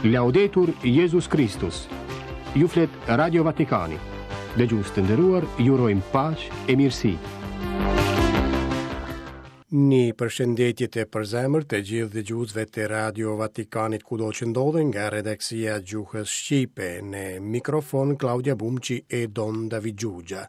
Laudetur Jezus Kristus. Ju flet Radio Vatikani. Dëgjues të nderuar, ju urojmë paqe e mirësi. Një përshëndetje të përzemërt të gjithë dëgjuesve të Radio Vatikanit kudo që ndodhen nga redaksia e gjuhës shqipe në mikrofon Klaudia Bumçi e Don David Xhuxha.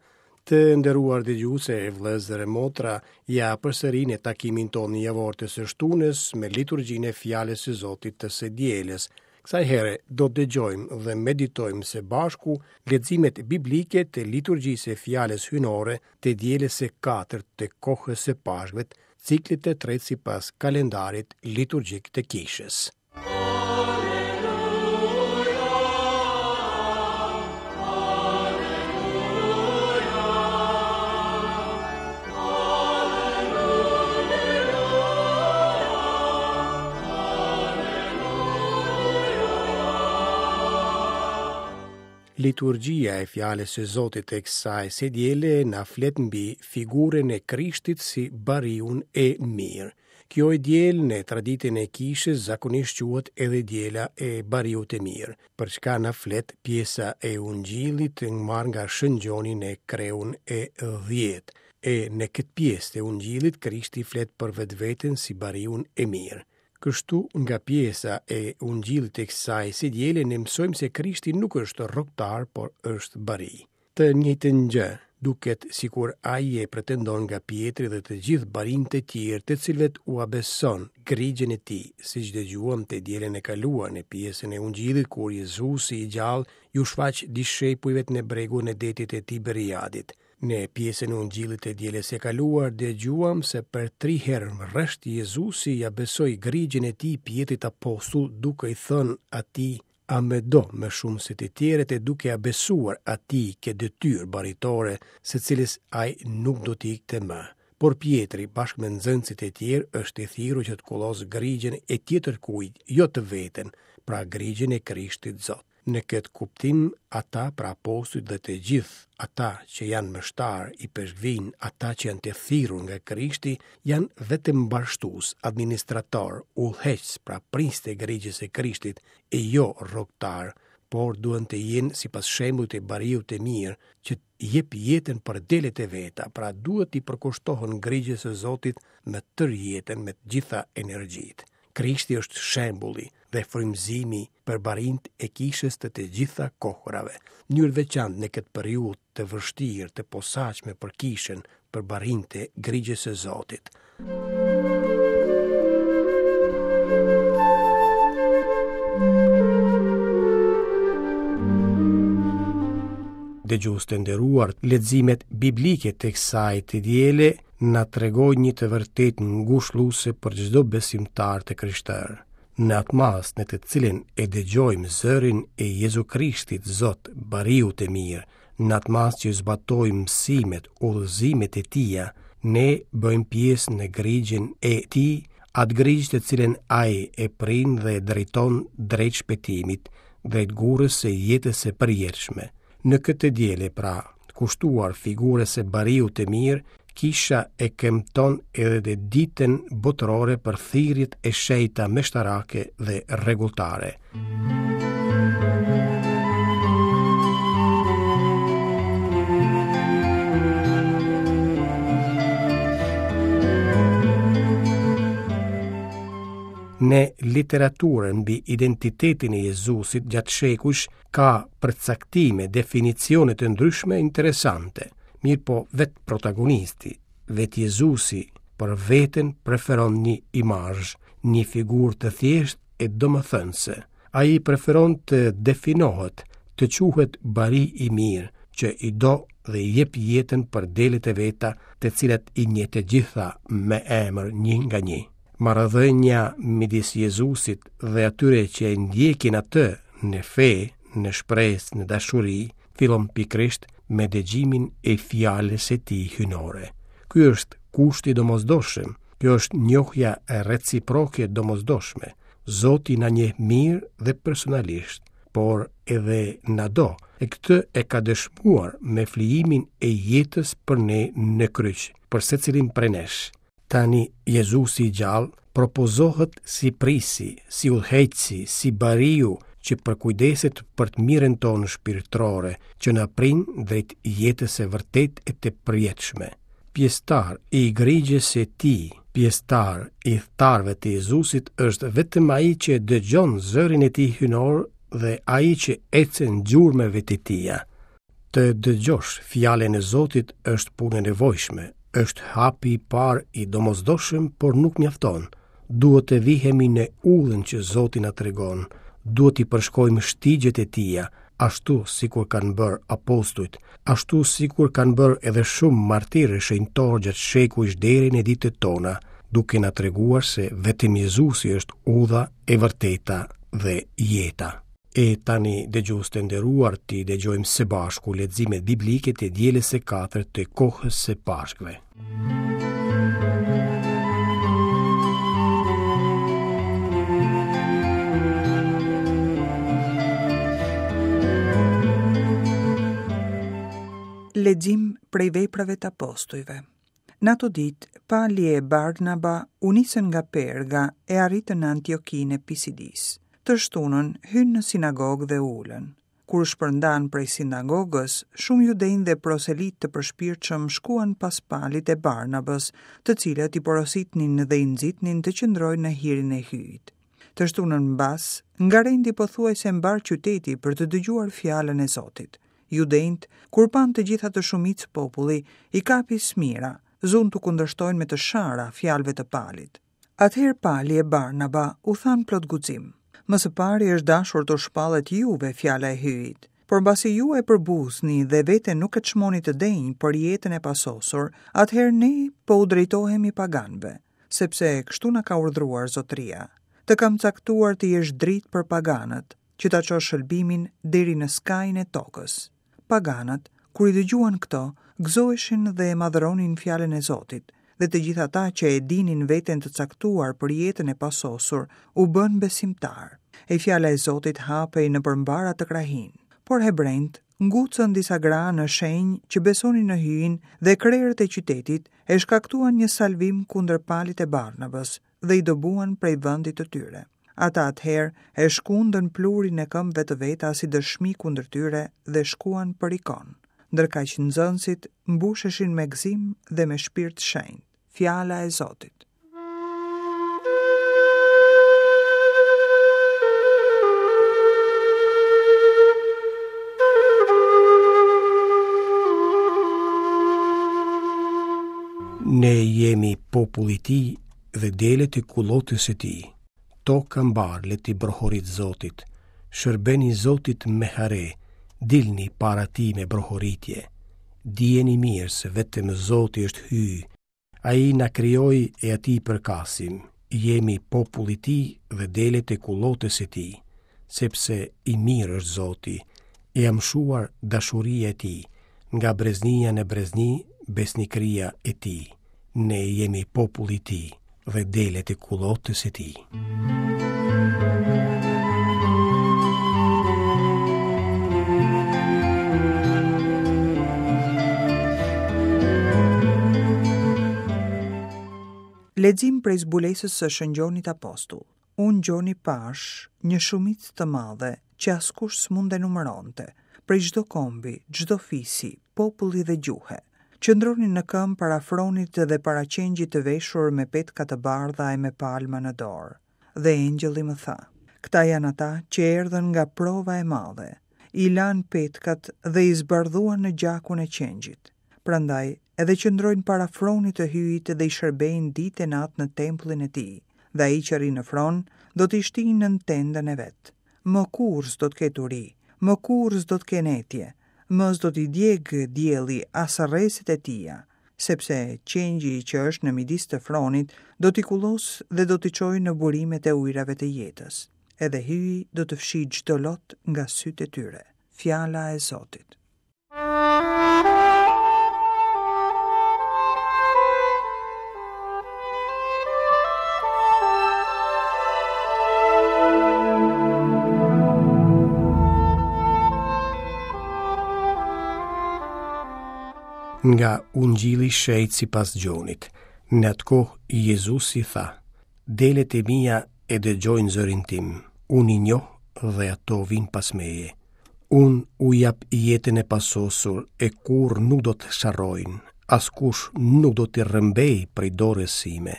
Të nderuar dëgjues e vëllezër e motra, ja përsëri në takimin tonë javor të së shtunës me liturgjinë e fjalës së Zotit të së dielës. Kësaj here do të dëgjojmë dhe meditojmë së bashku leximet biblike të liturgjisë së fjalës hyjnore të dielës së katërt të kohës së Pashkëve, ciklit të tretë sipas kalendarit liturgjik të Kishës. Liturgjia e fjalës së Zotit të kësaj së diele na flet mbi figurën e Krishtit si bariun e mirë. Kjo e diel në traditën e kishës zakonisht quhet edhe diela e bariut të mirë, për çka na flet pjesa e Ungjillit të marrë nga Shën Gjoni në kreun e 10. E në këtë pjesë të Ungjillit Krishti flet për vetveten si bariun e mirë. Kështu nga pjesa e Ungjillit të kësaj së diele ne mësojmë se Krishti nuk është rrogëtar, por është bari. Të njëjtën gjë, duket sikur ai e pretendon nga Pjetri dhe të gjithë barinjtë e tjerë të cilëve ua beson grigjën e tij, siç dëgjuam të dielën e kaluar në pjesën e Ungjillit kur Jezusi i gjallë iu shfaq dishepujve në bregun e detit të Tiberiadit. Në pjesën e Ungjillit të dielës së kaluar dëgjuam se për tri herë rresht Jezusi ia besoi grigjën e tij Pjetrit apostull duke i thënë atij A më do më shumë se të tjerët e duke ia besuar atij këtë detyrë baritore, së cilës ai nuk do t'i ikte më. Por Pjetri, bashkë me nxënësit e tjerë, është i thirrur që të kullosë grigjën e tjetërkujt, jo të vetën, pra grigjën e Krishtit Zot. Në këtë kuptim, ata, pra apostujt dhe të gjithë ata që janë meshtarë, ipeshkvinj, ata që janë të thirrur nga Krishti, janë vetëm mbarështues, administratorë, udhëheqës, pra prijës të grigjës së Krishtit, e jo rrogëtarë, por duhen të jenë sipas shembullit të bariut të mirë, që jep jetën për delet e veta, pra duhet t'i përkushtohen grigjës së Zotit me tërë jetën, me të gjitha energjitë. Krishti është shembulli dhe frymëzimi për barinjtë e kishës të të gjitha kohërave. Në mënyrë të veçantë në këtë periudhë të vështirë, të posaçme për kishën, për barinjtë e grigjës së Zotit. Dëgjues të nderuar, leximet biblike të kësaj të diele na tregojnë një të vërtetë ngushëlluese për çdo besimtar të krishterë. Në atë masë në të cilën e dëgjojmë zërin e Jezu Krishtit Zot, bariut të mirë, në atë masë që zbatojmë mësimet, udhëzimet e tija, ne bëjmë pjesë në grigjën e tij, atë grigjë të cilën ai e prin dhe e drejton drejt shpëtimit, drejt gurrës së jetës së përjetshme. Në këtë të diele pra, kushtuar figurës së bariut të mirë, kisha e kremton edhe dhe ditën botërore për thirrjet e shenjta meshtarake dhe rregulltare. Në literaturën mbi identitetin e Jezusit gjatë shekujsh ka përcaktime, definicione të ndryshme interesante. Mirëpo vetë protagonisti, vetë Jezusi, për veten preferon një imazh, një figurë të thjeshtë e domethënëse. Ai preferon të definohet, të quhet bari i mirë, që i do dhe i jep jetën për delet e veta, të cilat i njeh të gjitha me emër një nga një. Marrëdhënia midis Jezusit dhe atyre që e ndjekin atë në fe, në shpresë, në dashuri, fillon pikërisht me dëgjimin e fjalës së tij hyjnore. Ky është kushti i domosdoshëm, kjo është njohja reciproke e domosdoshme. Zoti na njeh mirë dhe personalisht, por edhe na do, e këtë e ka dëshmuar me flijimin e jetës për ne në kryq, për secilin prej nesh. Tani Jezusi i gjallë Propozohet si prijësi, si udhëheqësi, si bariu që përkujdeset për të mirën tonë shpirtërore, që na prin drejt jetës së vërtetë e të përjetshme. Pjesëtar i grigjës së tij, pjesëtar i ithtarëve të Jezusit është vetëm ai që dëgjon zërin e tij hyjnor dhe ai që ecën gjurmëve të tija. Të dëgjosh fjalën e Zotit është punë e nevojshme, është hapi i parë i domosdoshëm, por nuk mjafton. Duhet të vihemi në udhën që Zoti na tregon, duhet t'i përshkojmë shtigjet e tija, ashtu sikur kanë bërë apostujt, ashtu sikur kanë bërë edhe shumë martirë e shenjtorë gjatë shekujsh deri në ditët tona, duke na treguar se vetëm Jezusi është udha e vërteta dhe jeta. E tani dëgjues të nderuar t'i dëgjojmë së bashku leximet biblike të dielës së katërt të kohës së Pashkëve. Lexim prej veprave të apostujve. Në ato ditë, Pali e Barnaba u nisën nga Perga e arritën në Antiokinë e Pisidisë. Të shtunën, hynë në sinagogë dhe u ulën. Kur u shpërndanë prej sinagogës, shumë judenj dhe proselitë të përshpirtshëm shkuan pas Palit e Barnabës, të cilët i porositnin dhe i nxitnin të qëndrojnë në hirin e Hyjit. Të shtunën mbas, ngarendi pothuajse mbarë qyteti për të dëgjuar fjalën e Zotit. Judenjtë, kur panë të gjithë atë shumicë populli, i kapi smira, zunë t'u kundërshtojnë me të shara fjalëve të Palit. Atëherë Pali e Barnaba u thanë plot guxim, Më së pari është dashur t'u shpallet juve fjala e Hyjit. Por mbasi ju e përbuzni dhe veten nuk e çmoni të denjë për jetën e pasosur, atëherë ne po u drejtohemi paganëve, sepse kështu na ka urdhëruar Zotëria. Të kam caktuar të jesh dritë për paganët, që ta çosh shëlbimin deri në skajin e tokës. Paganët, kur i dëgjuan këto, gëzoheshin dhe e madhëronin fjalën e Zotit, dhe të gjithë ata që e dinin veten të caktuar për jetën e pasosur, u bënë besimtarë. E fjala e Zotit hapej nëpër mbarë atë krahinë. Por hebrenjtë ngucën disa gra në shenjë që besonin në Hyjin dhe krerët e qytetit e shkaktuan një salvim kundër Palit e Barnabës, dhe i dëbuan prej vendit të tyre. Ata atëherë e shkundën pluhurin e këmbëve të veta si dëshmi kundër tyre dhe shkuan për Ikon. Ndërkaq nxënësit mbusheshin me gëzim dhe me shpirt shenjt. Fjala e Zotit. Ne jemi populli i tij dhe delet e kullotës së tij. Toka mbarë le t'i brohoritë Zotit, shërbeni Zotit me hare, dilni para tij me brohoritje. Dijeni mirë se vetëm Zoti është Hyj, ai na krijoi e atij i përkasim, jemi populli i tij dhe delet e kullotës së tij, sepse i mirë është Zoti, e amshuar dashuria e tij, nga breznia në brezni besnikëria e tij. Ne jemi populli i tij dhe delet e kullotës së tij. Lexim prej zbulesës së Shën Gjonit Apostull. Unë Gjoni pashë një shumicë të madhe që askush s'mund e numëronte, prej çdo kombi, çdo fisi, populli dhe gjuhe. Qëndronin në këmbë para fronit dhe para qengjit të veshur me petka të bardha e me palma në dorë. Dhe engjëlli më tha, Këta janë ata që erdhën nga prova e madhe, i lanë petkat dhe i zbardhuan në gjakun e qengjit. Prandaj edhe qëndrojnë para fronit të Hyjit dhe i shërbejnë ditë e natë në tempullin e tij, dhe ai që rri në fron do t'i shtijë nën tendën e vet. Më kurrë s'do të ketë uri, më kurrë s'do të kenë etje, më s'do t'i djegë dielli as rrezet e tija, sepse qengji që është në midis të fronit do t'i kullosë dhe do t'i çojë në burimet e ujërave të jetës. Edhe Hyji do të fshijë çdo lot nga sytë e tyre. Fjala e Zotit. Nga Ungjilli i Shenjtë sipas Gjonit. Në atë kohë Jezusi tha: Delet e mia e dëgjojnë zërin tim, unë i njoh dhe ato vijnë pas meje. Unë u jap jetën e pasosur e kurrë nuk do të sharrojnë, askush nuk do t'i rrëmbejë prej dorës sime.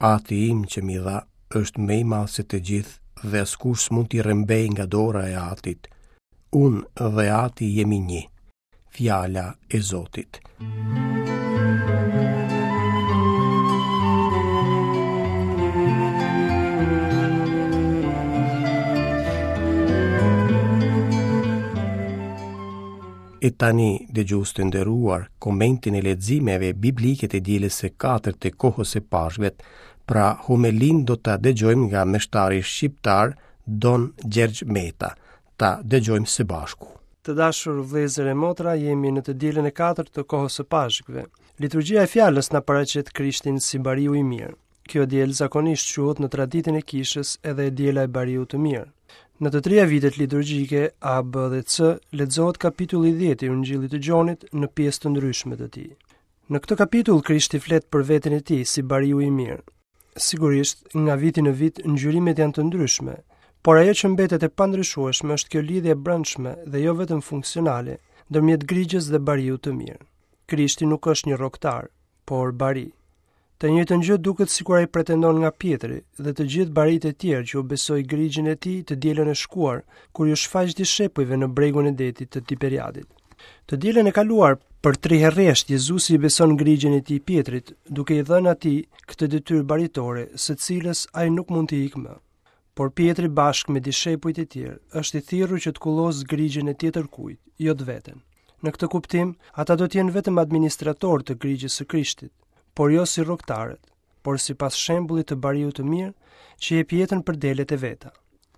Ati im që m'i dha është më i madh se të gjithë dhe askush s'mund t'i rrëmbejë nga dora e Atit. Unë dhe Ati jemi një. Fjala e Zotit. E tani, dëgjues të nderuar, komentin e leximeve biblike të dielës së katërt të kohës së Pashkëve, pra homelinë do ta dëgjojmë nga meshtari shqiptar Don Gjergj Meta. Ta dëgjojmë së bashku. Të dashur vëllezër e motra, jemi në të dielën e katërt të kohës së Pashkëve. Liturgjia e fjalës na paraqet Krishtin si bariu i mirë. Kjo e diel zakonisht quhet në traditën e kishës edhe e diela e bariut të mirë. Në të tria vitet liturgjike A, B dhe C lexohet kapitulli 10 i Ungjillit të Gjonit në pjesë të ndryshme të tij. Në këtë kapitull Krishti flet për veten e tij si bariu i mirë. Sigurisht, nga viti në vit ngjyrimet janë të ndryshme, por ajo që mbetet e pandryshueshme është kjo lidhje e brendshme dhe jo vetëm funksionale ndërmjet grigjës dhe bariut të mirë. Krishti nuk është një rroktar, por bari. Të njëjtën gjë duket sikur ai pretendon nga Pjetri dhe të gjithë barinjtë e tjerë që u besoi grigjën e tij të dielën e shkuar, kur iu shfaq dishepujve në bregun e detit të Tiberiadit. Të dielën e kaluar, për tri herë rresht Jezusi i beson grigjën e tij Pjetrit, duke i dhënë atij këtë detyrë baritore, së cilës ai nuk mund t'i ikë më. Por Pjetri bashkë me dishepujt e tjerë është i thirrur që të kullosë grigjën e tjetërkujt, jo të veten. Në këtë kuptim, ata do të jenë vetëm administratorë të grigjës së Krishtit, por jo si rroktarët, por sipas shembullit të bariut të mirë që jep jetën për delet e veta.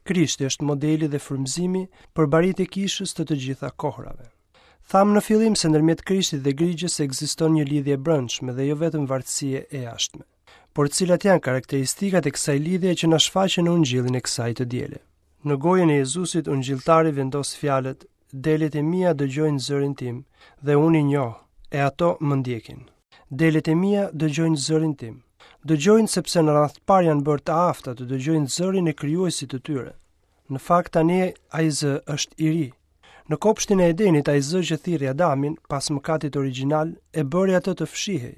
Krishti është modeli dhe frymëzimi për barinjtë e kishës të të gjitha kohërave. Thamë në fillim se ndërmjet Krishtit dhe grigjës ekziston një lidhje e brendshme dhe jo vetëm vartësie e jashtme. Por cilat janë karakteristikat e kësaj lidhje që na shfaqen në ungjillin e kësaj të diele? Në gojën e Jezusit ungjilltari vendos fjalët: Delet e mia dëgjojnë zërin tim dhe unë i njoh, e ato më ndjekin. Delet e mia dëgjojnë zërin tim. Dëgjojnë sepse në radhë të parë janë bërë të afta të dëgjojnë zërin e krijuesit të tyre. Në fakt tani ai zë është i ri. Në kopshtin e Edenit ai zë që thirri Adamin pas mëkatit origjinal e bëri atë të fshihej.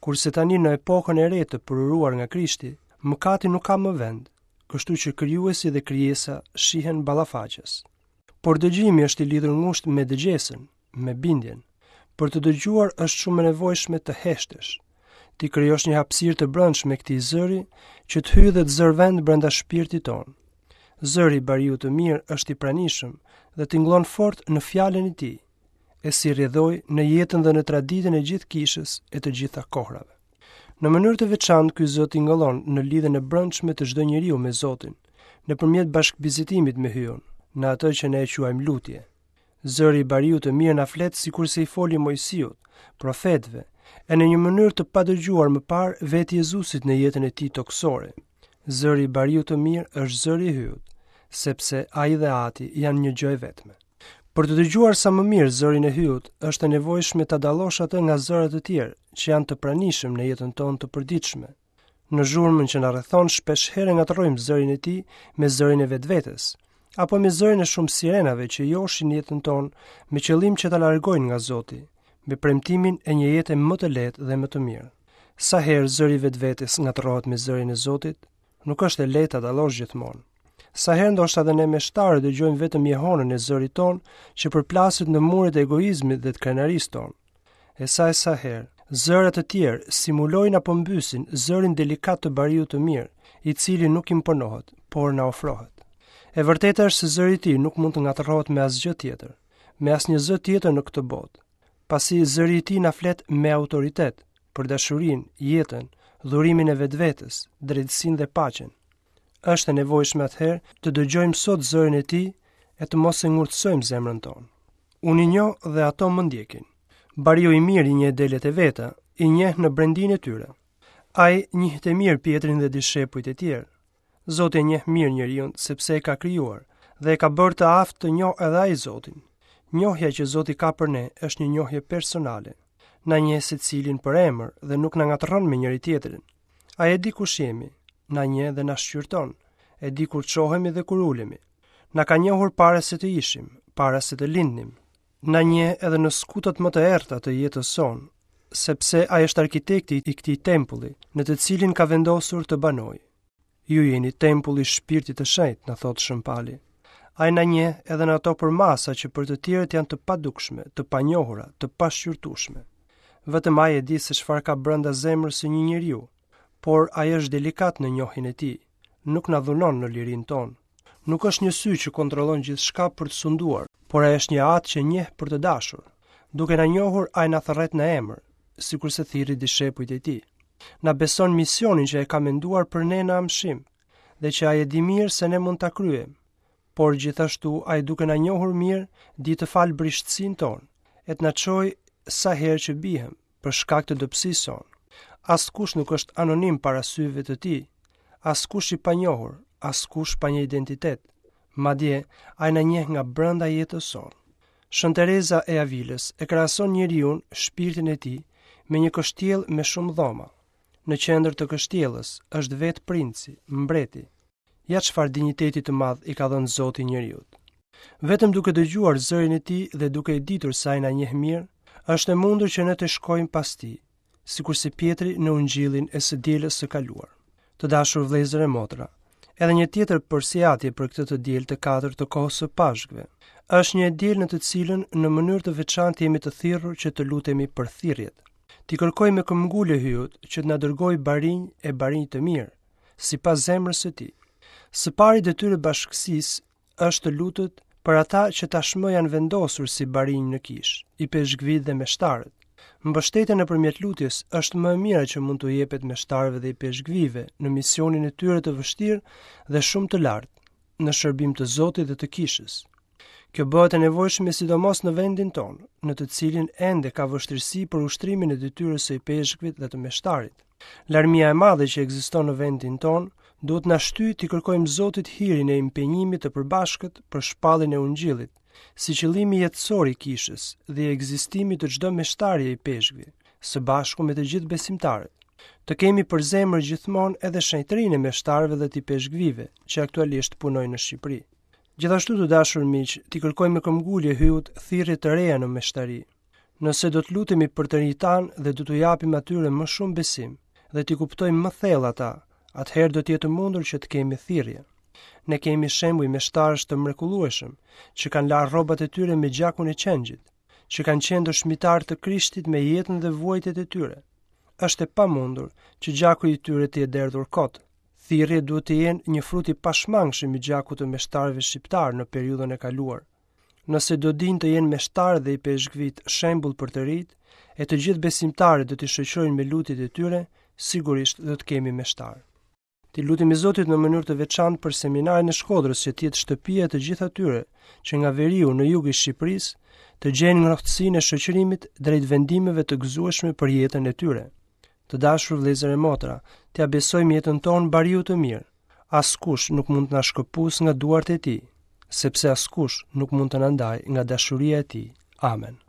Kurse tani në epokën e re të përuruar nga Krishti, mëkati nuk ka më vend, kështu që krijuesi dhe krijesa shihen ballafaqës. Por dëgjimi është i lidhur ngushtë me dëgjesën, me bindjen. Për të dëgjuar është shumë e nevojshme të heshtësh. T'i krijosh një hapësirë të brendshme këtij zëri që të hyjë dhe të zërë vend brenda shpirtit tonë. Zëri i bariut të mirë është i pranishëm dhe tingëllon fort në fjalën e tij, e si rrjedhojë në jetën dhe në traditën e gjithë kishës e të gjitha kohrave. Në mënyrë të veçantë ky zë tingëllon në lidhjen e brendshme të çdo njeriu me Zotin, nëpërmjet bashkëbisedimit me Hyun, në atë që ne e quajmë lutje. Zëri i bariut të mirë na flet sikurse i foli Moisiut, profetëve, e në një mënyrë të padëgjuar më parë vetë Jezusit në jetën e tij tokësore. Zëri i bariut të mirë është zëri i Hyut, sepse ai dhe Ati janë një gjë e vetme. Për të dëgjuar sa më mirë zërin e Hyut, është e nevojshme ta dallosh atë nga zëra të tjerë që janë të pranishëm në jetën tonë të përditshme. Në zhurmën që na rrethon shpesh herë ngatërrojmë zërin e tij me zërin e vetvetes, apo me zërin e shumë sirenave që joshin jetën tonë me qëllim që ta largojnë nga Zoti, me premtimin e një jete më të lehtë dhe më të mirë. Sa herë zëri i vetvetes ngatërrohet me zërin e Zotit, nuk është e lehtë ta dallosh gjithmonë. Sa herë ndoshta dhe ne meshtarët dëgjojmë vetëm jehonën e zërit tonë që përplaset në muret e egoizmit dhe të krenarisë tonë. E sa e sa herë, zëra të tjerë simulojnë apo mbysin zërin delikat të bariut të mirë, i cili nuk imponohet, por na ofrohet. E vërteta është se zëri i tij nuk mund të ngatërrohet me asgjë tjetër, me asnjë zë tjetër në këtë botë, pasi zëri i tij na flet me autoritet për dashurinë, jetën, dhurimin e vetvetes, drejtësinë dhe paqen. Është e nevojshme atëherë të dëgjojmë sot zërin e tij e të mos e ngurtësojmë zemrën tonë. Unë i njoh dhe ato më ndjekin. Bariu i mirë i njeh delet e veta, i njeh në brendinë e tyre. Ai njihte mirë Pjetrin dhe dishepujt e tjerë. Zoti e njeh mirë njeriun sepse e ka krijuar dhe e ka bërë të aftë të njohë edhe ai Zotin. Njohja që Zoti ka për ne është një njohje personale. Na njeh secilin për emër dhe nuk na ngatërron me njëri-tjetrin. Ai e di kush jemi. Na njeh dhe na shqyrton, e di kur çohemi dhe kur ulemi. Na ka njohur para se të ishim, para se të lindnim. Na njeh edhe në skutat më të errëta të jetës sonë, sepse ai është arkitekti i këtij tempulli, në të cilin ka vendosur të banojë. Ju jeni tempulli i Shpirtit të Shenjtë, na thotë Shën Pali. Ai na njeh edhe në ato përmasa që për të tjerët janë të padukshme, të panjohura, të pashqyrtueshme. Vetëm ai e di se çfarë ka brenda zemrës së një njeriu, por ai është delikat në njohjen e tij, nuk na dhunon në lirinë tonë. Nuk është një sy që kontrollon gjithçka për të sunduar, por ai është një atë që njeh për të dashur. Duke na njohur, ai na thërret në emër, sikurse thirri dishepujt e tij. Na beson misionin që e ka menduar për ne në amshim dhe që ai e di mirë se ne mund ta kryejmë. Por gjithashtu ai duke na njohur mirë, di të falë brishtësinë tonë e të na çojë sa herë që biem për shkak të dobësisë sonë. Askush nuk është anonim para syve të tij, askush i panjohur, askush pa një identitet. Madje, ai na njeh nga brenda jetës sonë. Shën Tereza e Avilës e krahason njeriun, shpirtin e tij, me një kështjellë me shumë dhoma. Në qendër të kështjellës është vetë princi, mbreti. Ja çfarë dinjiteti të madh i ka dhënë Zoti njeriut. Vetëm duke dëgjuar zërin e tij dhe duke e ditur se ai na njeh mirë, është e mundur që ne të shkojmë pas tij, sikurse Pjetri në ungjillin e së dielës së kaluar. Të dashur vëllezër e motra, edhe një tjetër përsiatje për këtë të diel të katërt të kohës së Pashkëve. Është një e diel në të cilën në mënyrë të veçantë jemi të thirrur që të lutemi për thirrjet. T'i kërkojmë me këmbëngulje Hyjut që të na dërgojë barinj e barinj të mirë, sipas zemrës së tij. Së pari detyrë e bashkësisë është të lutet për ata që tashmë janë vendosur si barinj në kishë, ipeshkvijtë dhe meshtarët. Mbështetja nëpërmjet lutjes është më e mira që mund t'u jepet meshtarëve dhe ipeshkvijve në misionin e tyre të vështirë dhe shumë të lartë, në shërbim të Zotit dhe të kishës. Kjo bëhet e nevojshme sidomos në vendin tonë, në të cilin ende ka vështirësi për ushtrimin e detyrës së ipeshkvit dhe të meshtarit. Larmia e madhe që ekziston në vendin tonë duhet na shtyjë t'i kërkojmë Zotit hirin e impenjimit të përbashkët për shpalljen e Ungjillit, si qëllimi jetësor i kishës dhe i ekzistimit të çdo meshtari e ipeshkvi, së bashku me të gjithë besimtarët. Të kemi për zemër gjithmonë edhe shenjtërinë e meshtarëve dhe të ipeshkvijve që aktualisht punojnë në Shqipëri. Gjithashtu të dashur miq, t'i kërkojmë me këmbëngulje Hyjut thirrje të reja në meshtari. Nëse do të lutemi për të rinjtë tanë dhe do t'u japim atyre më shumë besim dhe t'i kuptojmë më thellë ata, atëherë do të jetë e mundur që të kemi thirrje. Ne kemi shembuj meshtarësh të mrekullueshëm që kanë larë rrobat e tyre me gjakun e qengjit, që kanë qenë dëshmitarë të Krishtit me jetën dhe vuajtjet e tyre. Është e pamundur që gjaku i tyre të jetë derdhur kot. Thirrjet duhet të jenë një frut i pashmangshëm i gjakut të meshtarëve shqiptarë në periudhën e kaluar. Nëse do dinë të jenë meshtarët dhe ipeshkvijtë shembull për të rinjtë, e të gjithë besimtarët do t'i shoqërojnë me lutjet e tyre, sigurisht do të kemi meshtarë. T'i lutemi Zotit në mënyrë të veçantë për seminarin e Shkodrës që të jetë shtëpia e të gjithë atyre që nga veriu në jug i Shqipërisë të gjejnë ngrohtësinë e shoqërimit drejt vendimeve të gëzueshme për jetën e tyre. Të dashur vëllezër e motra, t'ia besojmë jetën tonë bariut të mirë, Askush nuk mund të na shkëpusë nga duart e tij, sepse askush nuk mund të na ndajë nga dashuria e tij. Amen.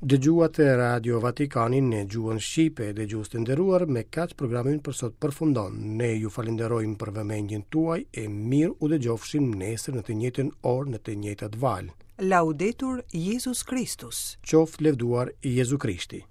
Dëgjuat Radio Vatikanin në gjuhën shqipe, dëgjues të nderuar, me kaq programi ynë për sot përfundon. Ne ju falënderojmë për vëmendjen tuaj e mirë u dëgjofshim nesër në të njëjtën orë në të njëjtat valë. Laudetur Jezus Kristus. Qoftë lëvduar Jezu Krishti.